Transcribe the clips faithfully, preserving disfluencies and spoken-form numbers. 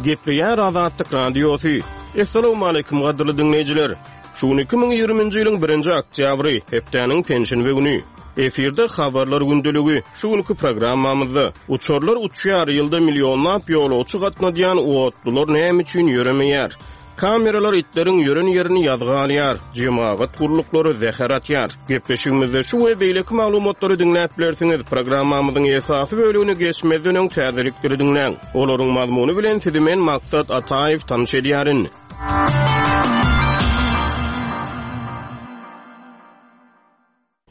Gepleýär Azatlyk Radiosy. Assalamualaikum gadyrly dinleýjiler. Şu gün iki müň ýigriminji ýylyň birinji oktýabry, hepdäniň penşenbe güni. Efirde habarlar gündeligi. Şu günkü programmamyzda uçarlar uçýar, ýylda millionlap ýolagçy gatnadýan otlular näme üçin ýöremeýär? Kameralar itleriň ýören ýerini ýazga alýar, jemagat gurluklary zäher atýar. Gepleşigimizde şu we beýleki maglumatlary diňläp bilersiňiz. Programmamyzyň esasy bölümini geçmezden öň täzelikleri diňläň. Olaryň mazmuny bilen sizi men Maksat Ataýew tanyş edýärin.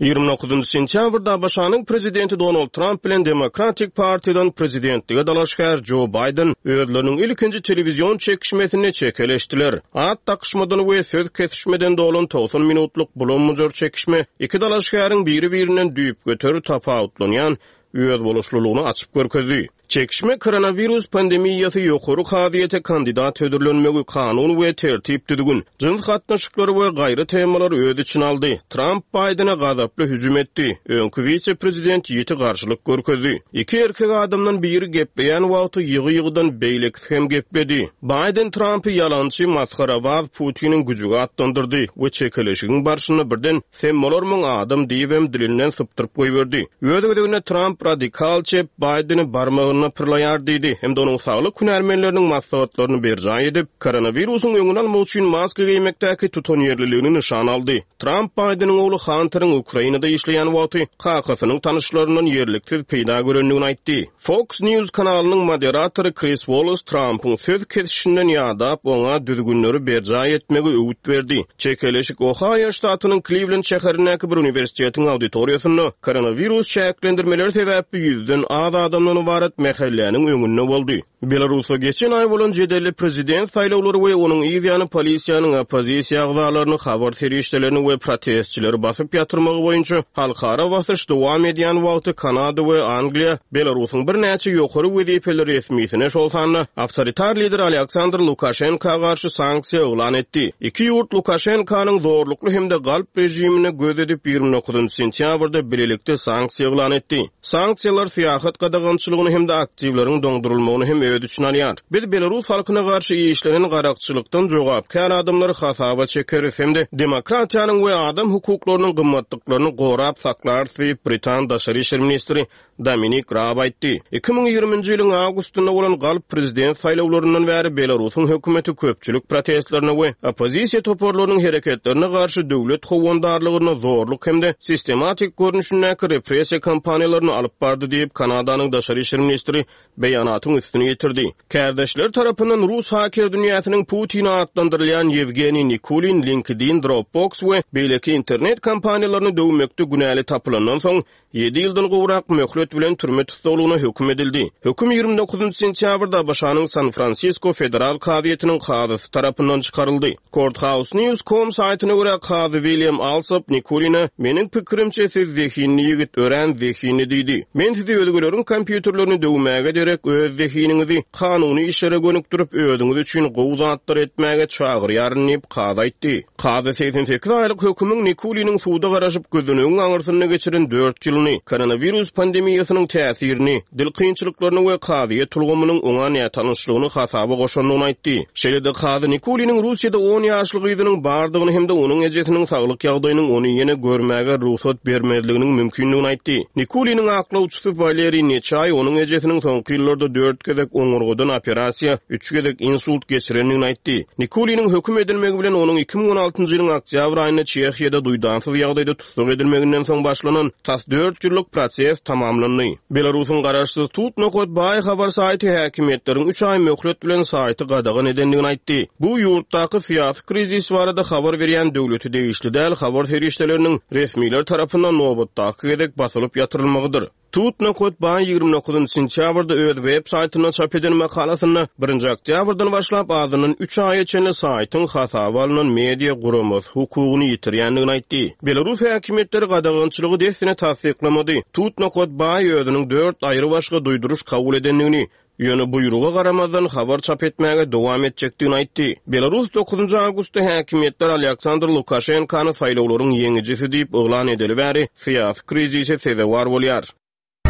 Ýigrimi dokuzynjy sentýabrda A B Ş-nyň prezidenti Donald Trump bilen Demokratik partiýadan prezidentlige dalaşgär Joe Biden özleriniň ilkinji telewizion çekişmesinde çekeleşdiler. At dakyşmadan we söz kesişmeden dolan togsan minutlyk bulanmyjar çekişme iki dalaşgäriň biri-birinden düýp göteri tapawutlanýan öz boluşlylygyny açyp görkezdi. Çekişme koronavirus pandemiýasy ýokary kazyýete kandidat hödürlenmegi kanun we tertip düzgün, jyns gatnaşyklary we gaýry temalar öz içine aldy. Trump Biden'e gazaply hüjüm etdi. Öňki wise-prezident ýiti garşylyk görkezdi. Iki erkek adamdan biri gepleýän wagty ýygy-ýygydan beýlekisi hem gepledi. Biden Trump'y ýalançy, masgarabaz Putiniň güjügi atlandyrdy we çekeleşigiň barşynda birden sen bolarmyň adam diýibem dilinden sypdyryp goýberdi. Öz gezeginde Trump radikal çep Biden'i barmagyna pyrlaýar diýdi. Hem de onuň saglyk hünärmenleriniň maslahatlaryny berjaý edip, koronawirusyň öňüni almak üçin maska geýmekdäki tutanýerliligini nyşan aldy. Trump Biden'iň ogly Hunter'in Ukrainada işleýän wagty kakasynyň tanyşlaryndan ýerliksiz peýda görendigini aýtdy. Fox News kanalynyň moderatory Chris Wallace Trump'yň söz kesişinden ýadap oňa düzgünleri berjaý etmegi öwüt berdi. Çekeleşik Ohio ştatynyň Cleveland şäherindäki bir uniwersitetiň auditoriýasynda koronavirus çäklendirmeleri sebäpli ýüzden az adamdan ybarat mähelläniň öňünde boldy. Belarusda geçen aý bolan jedelli prezident saýlawlary we onuň yz ýany polisiýanyň oppozisiýa agzalaryny, habar serişdelerini we protestçileri basyp ýatyrmagy boýunça halkara basyş dowam edýän wagty Kanada we Angliýa Belarusyň birnäçe ýokary wezipeli resmisine, şol sanda awtoritar lider Aleksandr Lukaşenka garşy sanksiýa yglan etdi. Iki ýurt Lukaşenkanyň zorlukly hem-de galp rejimine göz edip ýigrimi dokuzynjy sentýabrda bilelikde sanksiýa yglan etdi. Sanksiýalar syýahat gadagançylygyny hem-de aktiwleriň doňdurylmagyny hem öz içine alýar. Biz Belarus halkyna garşy işlenen garakçylykdan jogapkär adamlary hasaba çekeris hem-de demokratiýanyň we adam hukuklarynyň gymmatlyklaryny gorap saklarys diýip Britan Daşary işler ministri Dominik Raab aýtdy. Iki müň ýigriminji ýylyň awgustynda bolan galp prezident saýlawlaryndan bäri Belarusyň hökümeti köpçülik protestlerine we oppozisiýa toparlarynyň hereketlerine garşy döwlet howandarlygyna zorluk hem-de sistematik görnüşindäki repressiýa kampaniýalaryny alyp bardy diýip Kanadanyň Daşary işler ministri beýanatyň üstüni ýetirdi. Kärdeşler tarapyndan Rus haker dünýäsiniň Putin atlandyrylýan Ýewgeniý Nikulin, LinkedIn, Dropbox we beýleki internet kompaniýalaryny döwmekde günäli tapylandan soň ýedi ýyldan gowrak möhlet bilen türme tussaglygyna höküm edildi. Höküm ýigrimi dokuzynjy sentýabrda A B Ş-nyň San Fransisko Federal kazyýetiniň kazysy tarapyndan çykaryldy. Courthouse News nokta com saýtyna görä kazy William Alsop Nikuline meniň pikirimçe siz zehinli ýigit, örän zehinli diýdi. Men sizi özgeleriň kompýuterlerini döwmäge derek öz zehiniňizi kanuny işlere gönükdirip özüňiz üçin gowy zatlar etmäge çagyrýaryn diýip kazy aýtdy. Kazy seksen sekiz aýlyk hökümiň Nikuliniň suda garaşyp gözüniň aňyrsynda geçiren dört ýylyny, koronavirus pandemiýasynyň täsirini, dil kynçylyklaryny we kazyýet ulgamynyň oňa nätanyşlygyny hasaba goşandygyny aýtdy. Şeýle-de kazy Nikuliniň Russiýada on ýaşly gyzynyň bardygyny hem-de onuň ejesiniň saglyk ýagdaýynyň ony ýene görmäge rugsat bermezliginiň mümkindigini aýtdy. Nikuliniň aklawçysy Waleriý Neçaý onuň ejesiniň soňky ýyllarda dört gezek oňurgadan operasiýa, üç gezek insult geçirendigini aýtdy. Nikuliniň höküm edilmegi bilen onuň iki müň on altynjy ýylyň oktýabr aýynda Çehiýada duýdansyz ýagdaýda tussag edilmeginden soň başlanan tas dört ýyllyk proses tamamlandy. Belarusyň garaşsyz tut nokat baý habar saýty häkimiýetleriň üç aý möhlet bilen saýty gadagan edendigini aýtdy. Bu ýurtdaky syýasy krizis barada habar berýän döwleti degişli däl habar serişdeleriniň resmiler tarapyndan nobatdaky gezek basylyp ýatyrylmagydyr. Tut nokat baý ýigrimi dokuzynjy sentýabrda öz web saýtynda çap eden makalasynda birinji oktýabrdan başlap azyndan üç aýa çenli saýtyň hasaba alynan media guramasy hukugyny ýitirýändigini aýtdy. Belarus häkimiýetleri gadagançylygy dessine tassyklamady. Tut nokat baý özüniň dört aýry başga duýduryş kabul edendigini, ýöne buýruga garamazdan habar çap etmäge dowam etjekdigini aýtdy. Belarus dokuzynjy awgustda häkimiýetler Aleksandr Lukaşenkany saýlawlaryň ýeňijisi diýip yglan edeli bäri syýasy krizise sezewar bolýar.